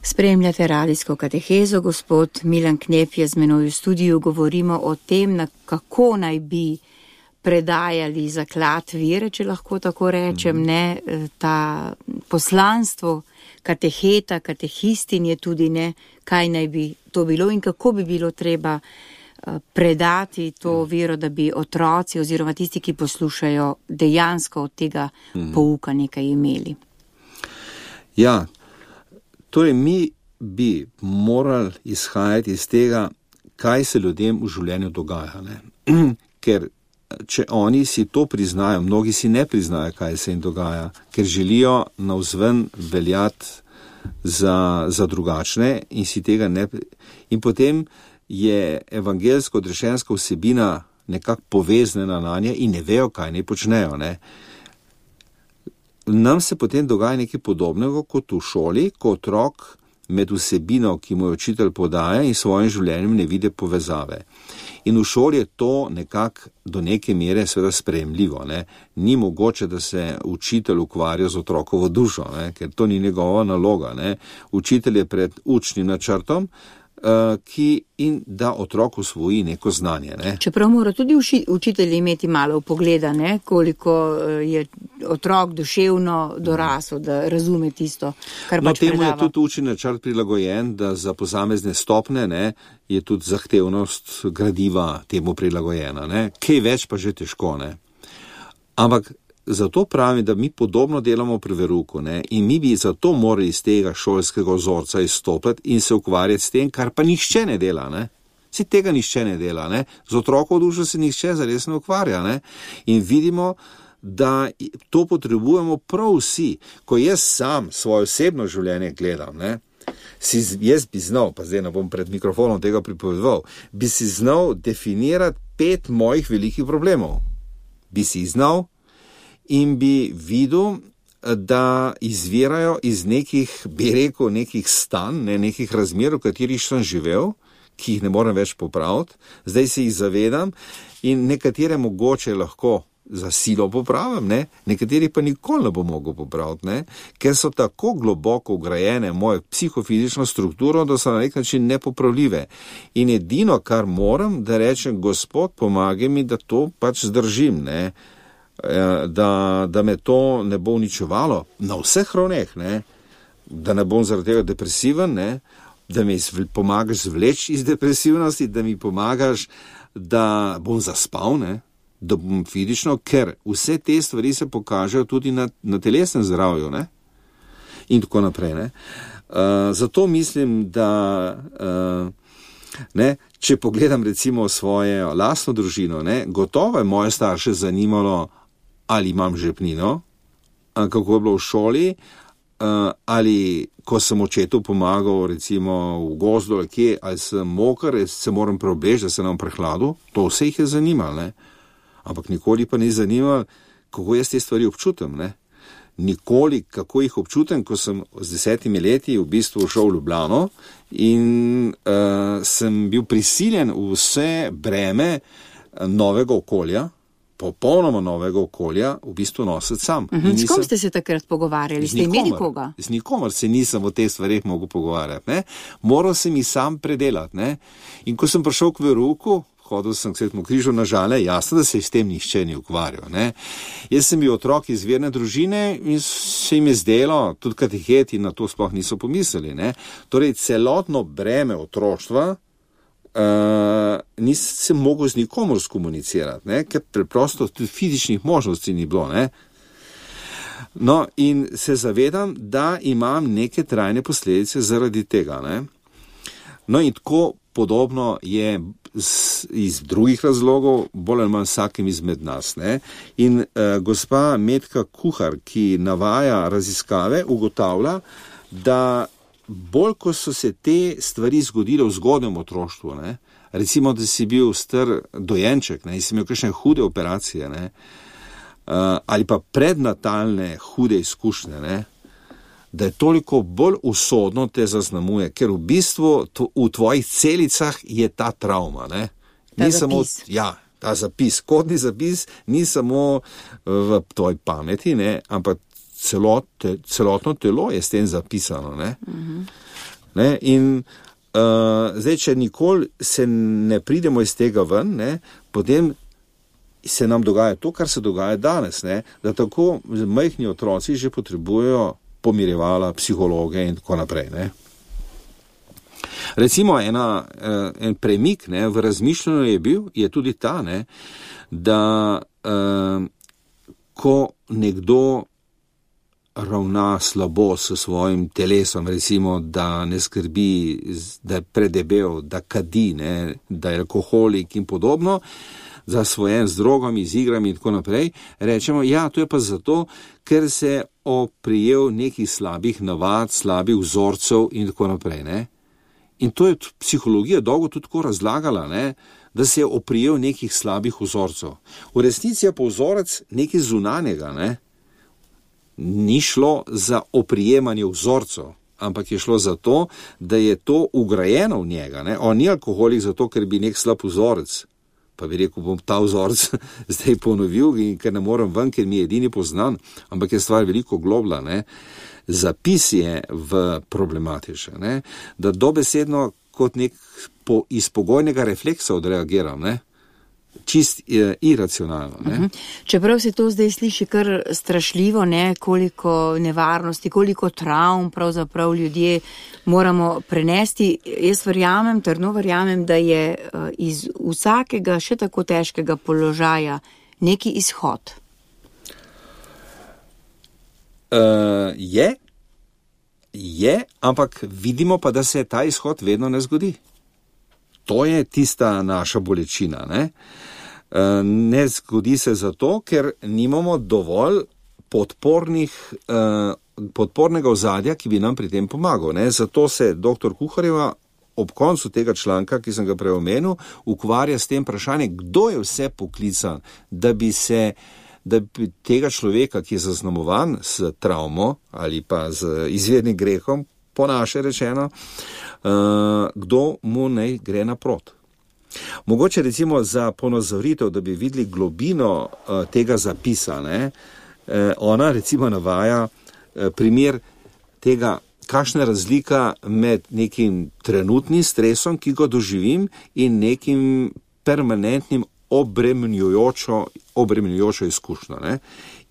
Spremljate radijsko katehezo, gospod Milan Knep je z menoj v studiu, govorimo o tem, na kako naj bi predajali zaklad vere, če lahko tako rečem, ne, ta poslanstvo kateheta, katehistin je tudi, ne, kaj naj bi to bilo in kako bi bilo treba predati to vero, da bi otroci oziroma tisti, ki poslušajo, dejansko od tega pouka nekaj imeli. Ja, torej, mi bi morali izhajati iz tega, kaj se ljudem v življenju dogaja. Ne? Ker če oni si to priznajo, mnogi si ne priznajo, kaj se jim dogaja, ker želijo navzven veljati za, za drugačne in si tega ne. In potem je evangelsko-odrešenska vsebina nekako poveznjena na nje in ne vejo, kaj ne počnejo. Ne. Nam se potem dogaja nekaj podobnega kot v šoli, ko otrok med vsebino, ki mu jo učitelj podaja in svojim življenjem ne vidi povezave. In v šoli je to nekako do neke mere seveda sprejemljivo. Ne. Ni mogoče, da se učitelj ukvarja z otrokovo dušo, ne, ker to ni njegova naloga. Ne. Učitelj je pred učnim načrtom, ki in da otrok usvoji neko znanje. Ne. Čeprav mora tudi uši, učitelj imeti malo pogleda, ne, koliko je otrok duševno dorasel, da razume tisto, kar no, pač predava. No, temu je tudi učni načrt prilagojen, da za posamezne stopne, ne, je tudi zahtevnost gradiva temu prilagojena. Ne. Kaj več pa že težko. Ne. Ampak zato pravim, da mi podobno delamo pri veruku, ne, in mi bi zato morali iz tega šolskega vzorca izstopiti in se ukvarjati s tem, kar pa nihče ne dela, ne. Si tega nihče ne dela, ne. Z otrokovo dušo se nihče zares ne ukvarja, ne. In vidimo, da to potrebujemo prav vsi. Ko jaz sam svoje osebno življenje gledam, ne, si, jaz bi znal, pa zdaj ne bom pred mikrofonom tega pripovedoval, bi si znal definirati pet mojih velikih problemov. Bi si znal in bi videl, da izvirajo iz nekih, bi rekel, nekih stanj, ne, nekih razmer, v katerih sem živel, ki jih ne morem več popraviti. Zdaj se jih zavedam in nekatere mogoče lahko za silo popravim, ne, nekateri pa nikoli ne bo mogel popraviti, ne, ker so tako globoko vgrajene v mojo psihofizično strukturo, da so na nek način nepopravljive. In edino, kar moram, da rečem, Gospod, pomagaj mi, da to pač zdržim, ne, Da, da me to ne bo uničevalo na vseh ravneh, ne, da ne bom zaradi tega depresiven, ne, da mi pomagaš zvleči iz depresivnosti, da mi pomagaš, da bom zaspal, ne, da bom fizično, ker vse te stvari se pokažejo tudi na, na telesnem zdravju, ne, in tako naprej. Ne. Uh, zato mislim, da uh, ne, če pogledam recimo svojo lastno družino, ne, gotovo je moje starše zanimalo, ali imam žepnino, kako je bilo v šoli, ali ko sem očetu pomagal recimo v gozdu, ali kje, ali sem moker, se moram preobleči, da se nam prehladu, to vse jih je zanimalo, ne. Ampak nikoli pa ni zanimalo, kako jaz te stvari občutam, ne. Nikoli, kako jih občutam, ko sem z desetimi leti v bistvu šel v Ljubljano in uh, sem bil prisiljen v vse breme novega okolja, popolnoma novega okolja, v bistvu nositi sam. Uh-huh. S kom ste se takrat pogovarjali? Ste imeli koga? Z nikomer se nisem o teh stvareh mogel pogovarjati. Ne? Moral sem jih sam predelati. Ne? In ko sem prišel k veruku, hodil sem k Svetemu križu na Žale, jasno, da se s tem nihče ni ukvarjal. Ne? Jaz sem bil otrok iz verne družine in se jim je zdelo, tudi kateheti na to sploh niso pomislili. Ne? Torej, celotno breme otroštva Uh, nisem mogel z nikomu skomunicirati, ne? Ker preprosto tudi fizičnih možnosti ni bilo. Ne? No, in se zavedam, da imam neke trajne posledice zaradi tega. Ne? No, in tako podobno je z, iz drugih razlogov, bolj ali manj vsakim izmed nas. Ne? In uh, gospa Metka Kuhar, ki navaja raziskave, ugotavlja, da bolj, ko so se te stvari zgodile v zgodnjem otroštvu, ne, recimo, da si bil star dojenček, ne, in si imel kakšne hude operacije, ne, uh, ali pa prednatalne hude izkušnje, ne, da je toliko bolj usodno te zaznamuje, ker v bistvu to, v tvojih celicah je ta travma. Ne. Ta ni samo, ja, ta zapis, kodni zapis ni samo v tvoji pameti, ne, ampak Celote, celotno telo je s tem zapisano. Ne? Uh-huh. Ne? In uh, zdaj, če nikoli se ne pridemo iz tega ven, ne, potem se nam dogaja to, kar se dogaja danes, ne? Da tako majhni otroci že potrebujejo pomirjevala, psihologe in tako naprej. Ne? Recimo ena, en premik, ne, v razmišljanju je bil, je tudi ta, ne, da uh, ko nekdo ravna slabo s svojim telesom, recimo, da ne skrbi, da je predebel, da kadi, ne, da je alkoholik in podobno, zasvojen z drogami, z igrami in tako naprej, rečemo, ja, to je pa zato, ker se oprijel nekih slabih navad, slabih vzorcev in tako naprej, ne. In to je psihologija dolgo tudi tako razlagala, ne, da se je oprijel nekih slabih vzorcev. V resnici je pa vzorec nekaj zunanjega, ne. Ni šlo za oprijemanje vzorcev, ampak je šlo za to, da je to ugrajeno v njega, ne. On ni alkoholik zato, ker bi nek slab vzorec, pa bi rekel, bom ta vzorec zdaj ponovil, in ker ne morem ven, ker mi je edini poznan, ampak je stvar veliko globla, ne. Zapis je v problematične, ne, da dobesedno kot nek po, iz pogojnega refleksa odreagiram, ne, čist je, iracionalno. Ne. Uh-huh. Čeprav se to zdaj sliši kar strašljivo, ne, koliko nevarnosti, koliko travm pravzaprav ljudje moramo prenesti, jaz verjamem, trdno verjamem, da je uh, iz vsakega še tako težkega položaja neki izhod. Uh, je, je, ampak vidimo pa, da se ta izhod vedno ne zgodi. To je tista naša bolečina, ne? Uh, ne zgodi se zato, ker nimamo dovolj podpornih, uh, podpornega ozadja, ki bi nam pri tem pomagal, ne? Zato se doktor Kuharjeva ob koncu tega članka, ki sem ga prej omenil, ukvarja s tem vprašanjem, kdo je vse poklican, da bi se da bi tega človeka, ki je zaznamovan s travmo ali pa z izvirnim grehom, po naše rečeno, uh, kdo mu naj gre naprot. Mogoče recimo za ponazoritev, da bi videli globino uh, tega zapisa, ne, uh, ona recimo navaja uh, primer tega, kakšna je razlika med nekim trenutnim stresom, ki ga doživim, in nekim permanentnim obremenjujočo, obremenjujočo izkušnjo, ne?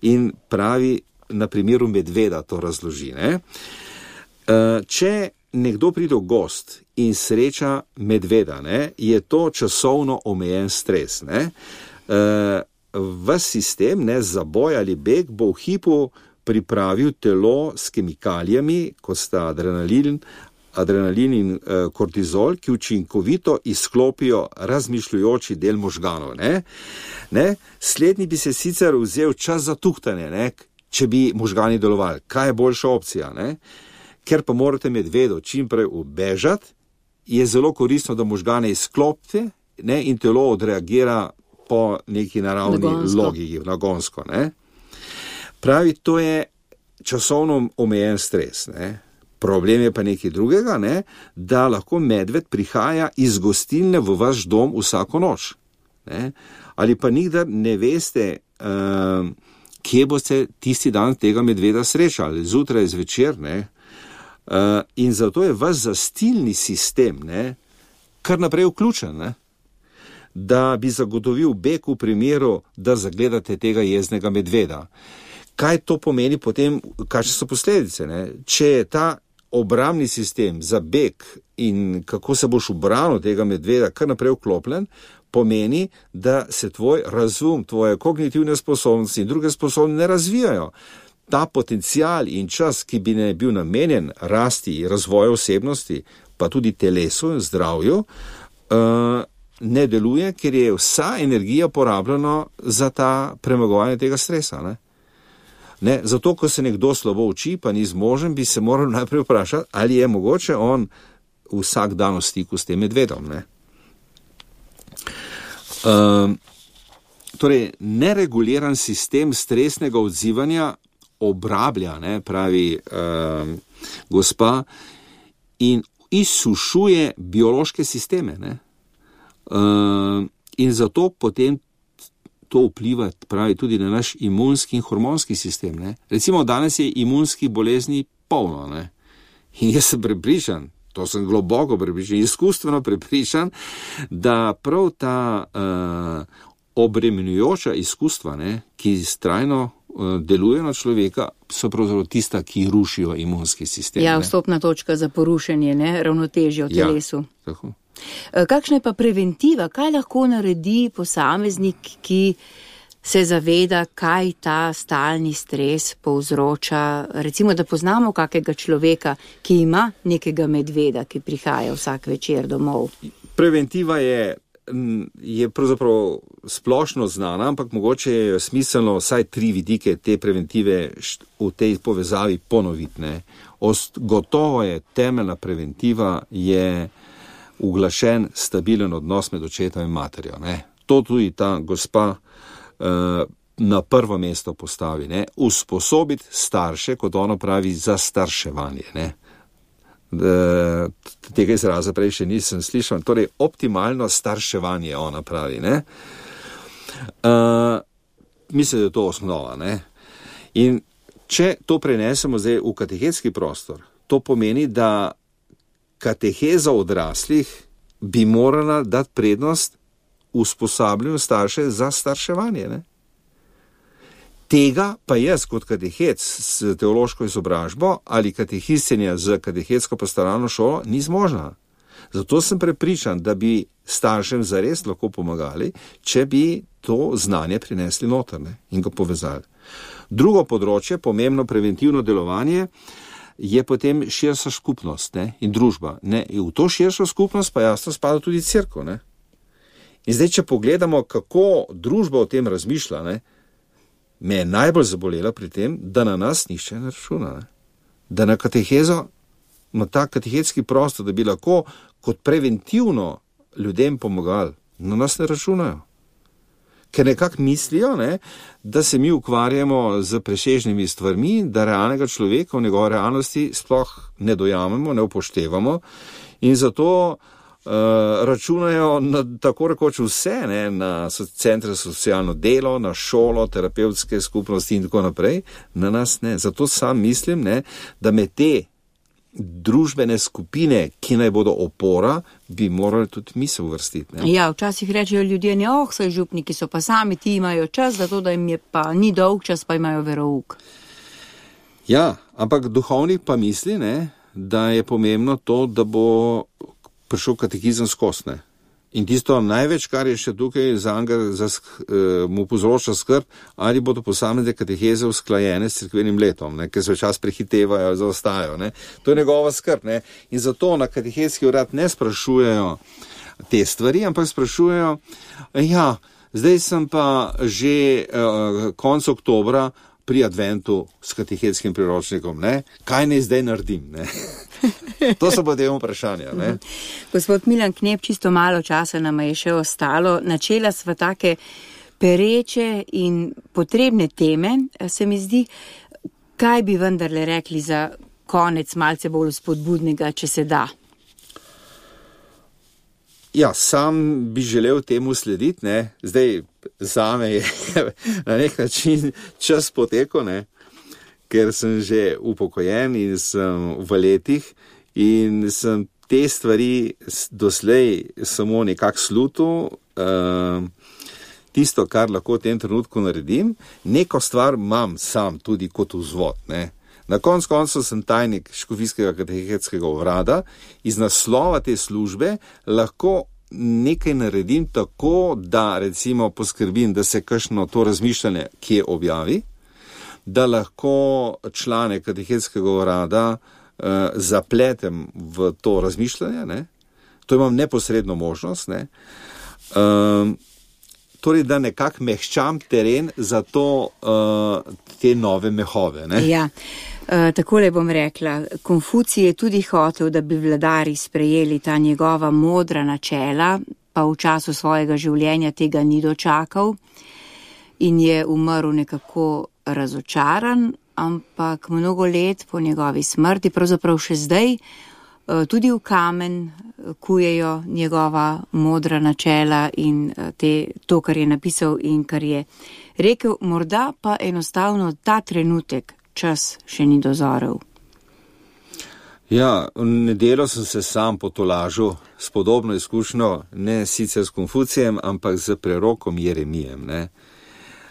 In pravi, na primeru medveda to razloži, ne? Če nekdo pride v gost in sreča medveda, ne, je to časovno omejen stres, ne? V sistem, ne, za boj ali beg bo v hipu pripravil telo s kemikalijami, kot sta adrenalin, adrenalin in uh, kortizol, ki učinkovito izklopijo razmišljujoči del možganov, ne? Ne? Slednji bi se sicer vzel čas za tuhtanje, ne? Če bi možgani delovali. Kaj je boljša opcija, ne? Ker pa morate medvedo čimprej ubežati, je zelo koristno, da možgane izklopite, ne? In telo odreagira po neki naravni nagonsko. Logiki, nagonsko, ne? Pravi, to je časovno omejen stres, ne? Problem je pa nekaj drugega, ne, da lahko medved prihaja iz gostilne v vaš dom vsako noč. Ne. Ali pa nikdar ne veste, uh, kje boste tisti dan tega medveda srečali, zjutraj, zvečer, ne. Uh, in zato je vaš zastilni sistem, ne, kar naprej vključen, ne, da bi zagotovil beg v primeru, da zagledate tega jeznega medveda. Kaj to pomeni potem, kakšne so posledice, ne? Če je ta obrambni sistem za beg in kako se boš ubranil tega medveda kar naprej vklopljen, pomeni, da se tvoj razum, tvoje kognitivne sposobnosti in druge sposobnosti ne razvijajo. Ta potencial in čas, ki bi ne bil namenjen rasti in razvoju osebnosti, pa tudi telesu in zdravju, uh, ne deluje, ker je vsa energija porabljena za ta premagovanje tega stresa, ne? Ne, zato, ko se nekdo slabo uči, pa ni zmožen, bi se moral najprej vprašati, ali je mogoče on vsak dan v stiku s tem medvedom. Ne? Um, torej, nereguliran sistem stresnega odzivanja obrablja, ne, pravi um, gospa, in izsušuje biološke sisteme. Ne? Um, in zato potem to vpliva, pravi, tudi na naš imunski in hormonski sistem. Ne? Recimo, danes je imunskih bolezni polno, ne? In jaz sem prepričan, to sem globoko prepričan, izkustveno prepričan, da prav ta uh, obremenjujoča izkustva, ne, ki trajno uh, delujejo na človeka, so pravzaprav tista, ki rušijo imunski sistem. Ja, vstopna točka za porušenje, ne, ravnotežja v telesu. Ja, tako. Kakšna je pa preventiva? Kaj lahko naredi posameznik, ki se zaveda, kaj ta stalni stres povzroča? Recimo, da poznamo kakega človeka, ki ima nekega medveda, ki prihaja vsak večer domov. Preventiva je je pravzaprav splošno znana, ampak mogoče je smiselno vsaj tri vidike te preventive v tej povezavi ponoviti. Ne. Gotovo je temeljna preventiva je uglašen, stabilen odnos med očetom in materjo. Ne. To tudi ta gospa uh, na prvo mesto postavi. Ne. Usposobiti starše, kot ono pravi, za starševanje. Ne. Tega izraza prej še nisem slišal. Torej, optimalno starševanje ona pravi. Ne. Uh, mislim, da je to osnova. Ne. In če to prenesemo zdaj v katehetski prostor, to pomeni, da kateheza odraslih bi morala dati prednost usposabljanju starše za starševanje. Ne? Tega pa jaz kot katehec s teološko izobražbo ali katehistinja z katehetsko pastoralno šolo ni zmožna. Zato sem prepričan, da bi staršem zares lahko pomagali, če bi to znanje prinesli noter, ne? In ga povezali. Drugo področje, pomembno preventivno delovanje, je potem širša skupnost, ne? In družba. Ne? In v to širšo skupnost pa jasno spada tudi cerkev. Ne? In zdaj, če pogledamo, kako družba o tem razmišlja, ne? Me je najbolj zabolela pri tem, da na nas nišče ne računa. Ne? Da na katehezo, na ta katehetski prostor, da bi lahko kot preventivno ljudem pomagali, na nas ne računajo. Ker nekako mislijo, ne, da se mi ukvarjamo z presežnimi stvarmi, da realnega človeka v njegove realnosti sploh ne dojamemo, ne upoštevamo in zato uh, računajo na tako rekoč vse, ne, na centre za socialno delo, na šolo, terapevtske skupnosti in tako naprej, na nas ne. Zato sam mislim, ne, da med te družbene skupine, ki naj bodo opora, bi morali tudi mi se uvrstiti. Ne? Ja, včasih rečejo ljudje, ne, oh, saj župniki so pa sami, ti imajo čas, zato da jim je pa ni dolg čas, pa imajo verouk. Ja, ampak duhovnik pa misli, ne, da je pomembno to, da bo prišel katehizem skozi, ne. In tisto največ, kar je še tukaj za njega, za, uh, mu povzroča skrb, ali bodo posamezne kateheze usklajene s cerkvenim letom, ne, ker se včas prehitevajo, zaostajajo. Ne. To je njegova skrb. Ne. In zato na katehezki urad ne sprašujejo te stvari, ampak sprašujejo, ja, zdaj sem pa že uh, konec oktobra pri adventu s katehetskim priročnikom, ne? Kaj naj zdaj naredim? Ne? To so potem vprašanja. Ne? Gospod Milan Knep, čisto malo časa nam je še ostalo. Načela sva take pereče in potrebne teme, se mi zdi. Kaj bi vendarle rekli za konec malce bolj spodbudnega, če se da? Ja, sam bi želel temu slediti, ne. Zdaj, zame je na nek način čas potekel, ne, ker sem že upokojen in sem v letih in sem te stvari doslej samo nekako slutil. Uh, tisto, kar lahko v tem trenutku naredim, neko stvar imam sam tudi kot vzvod, ne. Na konc koncu sem tajnik škofijskega katehetskega urada, iz naslova te službe lahko nekaj naredim tako, da recimo poskrbim, da se kakšno to razmišljanje kje objavi, da lahko člane katehetskega urada eh, zapletem v to razmišljanje, ne. To imam neposredno možnost, ne. Um, torej, da nekako mehčam teren za to, uh, te nove mehove, ne. Ja. Uh, takole bom rekla, Konfucij je tudi hotel, da bi vladari sprejeli ta njegova modra načela, pa v času svojega življenja tega ni dočakal in je umrl nekako razočaran, ampak mnogo let po njegovi smrti, pravzaprav še zdaj, uh, tudi v kamen kujejo njegova modra načela in uh, te, to, kar je napisal in kar je rekel, morda pa enostavno ta trenutek čas še ni dozorel. Ja, v nedeljo sem se sam potolažil s podobno izkušnjo, ne sicer s Konfucijem, ampak z prerokom Jeremijem. Ne.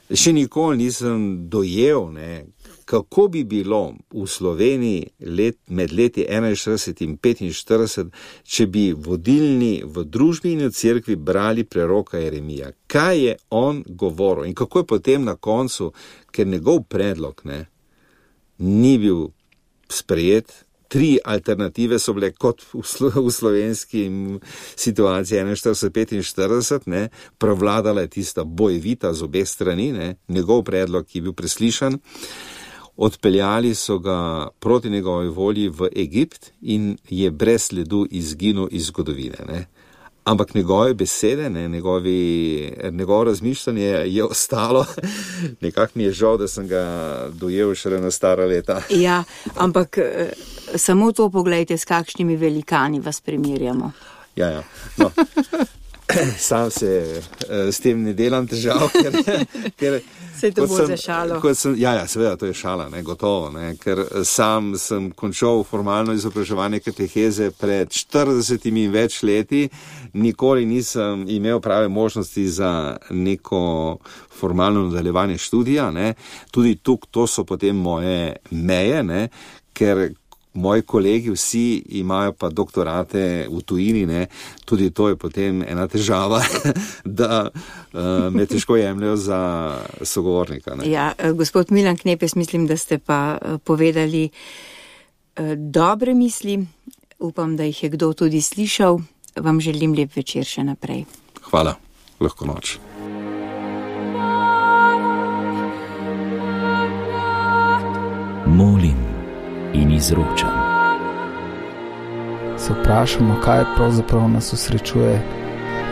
Še nikoli nisem dojel, ne, kako bi bilo v Sloveniji let, med leti enainštirideset in petinštirideset, če bi vodilni v družbi in v cerkvi brali preroka Jeremija. Kaj je on govoril in kako je potem na koncu, ker njegov predlog, ne, ni bil sprejet, tri alternative so bile kot v, slo, v slovenski situaciji štirideset petinštirideset, ne, prevladala je tista bojevita z obeh strani, ne, njegov predlog je bil preslišan, odpeljali so ga proti njegovi volji v Egipt in je brez sledu izginil iz zgodovine, ne. Ampak njegove besede, ne, njegovi, njegovo razmišljanje je ostalo. Nekako mi je žal, da sem ga dojel šele na stara leta. Ja, ampak samo to poglejte, s kakšnimi velikani vas primerjamo. Ja, ja. No. Sam se s tem ne delam težav, ker... ker se to bo za šalo. Sem, ja, ja, seveda, to je šala, ne, gotovo, ne, ker sam sem končal formalno izobraževanje kateheze pred štiridesetimi in več leti, nikoli nisem imel prave možnosti za neko formalno nadaljevanje študija, ne, tudi tuk, to so potem moje meje, ne, ker moji kolegi vsi imajo pa doktorate v tujini, ne, tudi to je potem ena težava, da uh, me težko jemljajo za sogovornika. Ne. Ja, gospod Milan Knepes, mislim, da ste pa povedali uh, dobre misli, upam, da jih je kdo tudi slišal, vam želim lep večer še naprej. Hvala, lahko noč. Molim in izročam. Se vprašamo, kaj pravzaprav nas osrečuje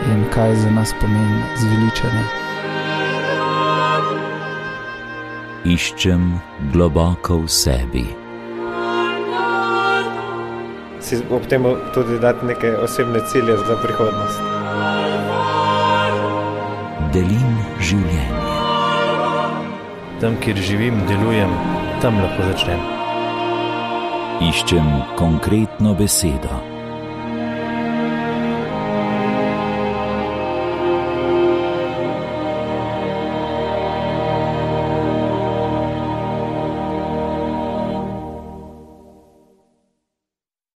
in kaj za nas pomeni zveličanje. Iščem globoko v sebi. Si ob tem tudi dati neke osebne cilje za prihodnost. Delim življenje. Tam, kjer živim, delujem, tam lahko začnem. Iščem konkretno besedo.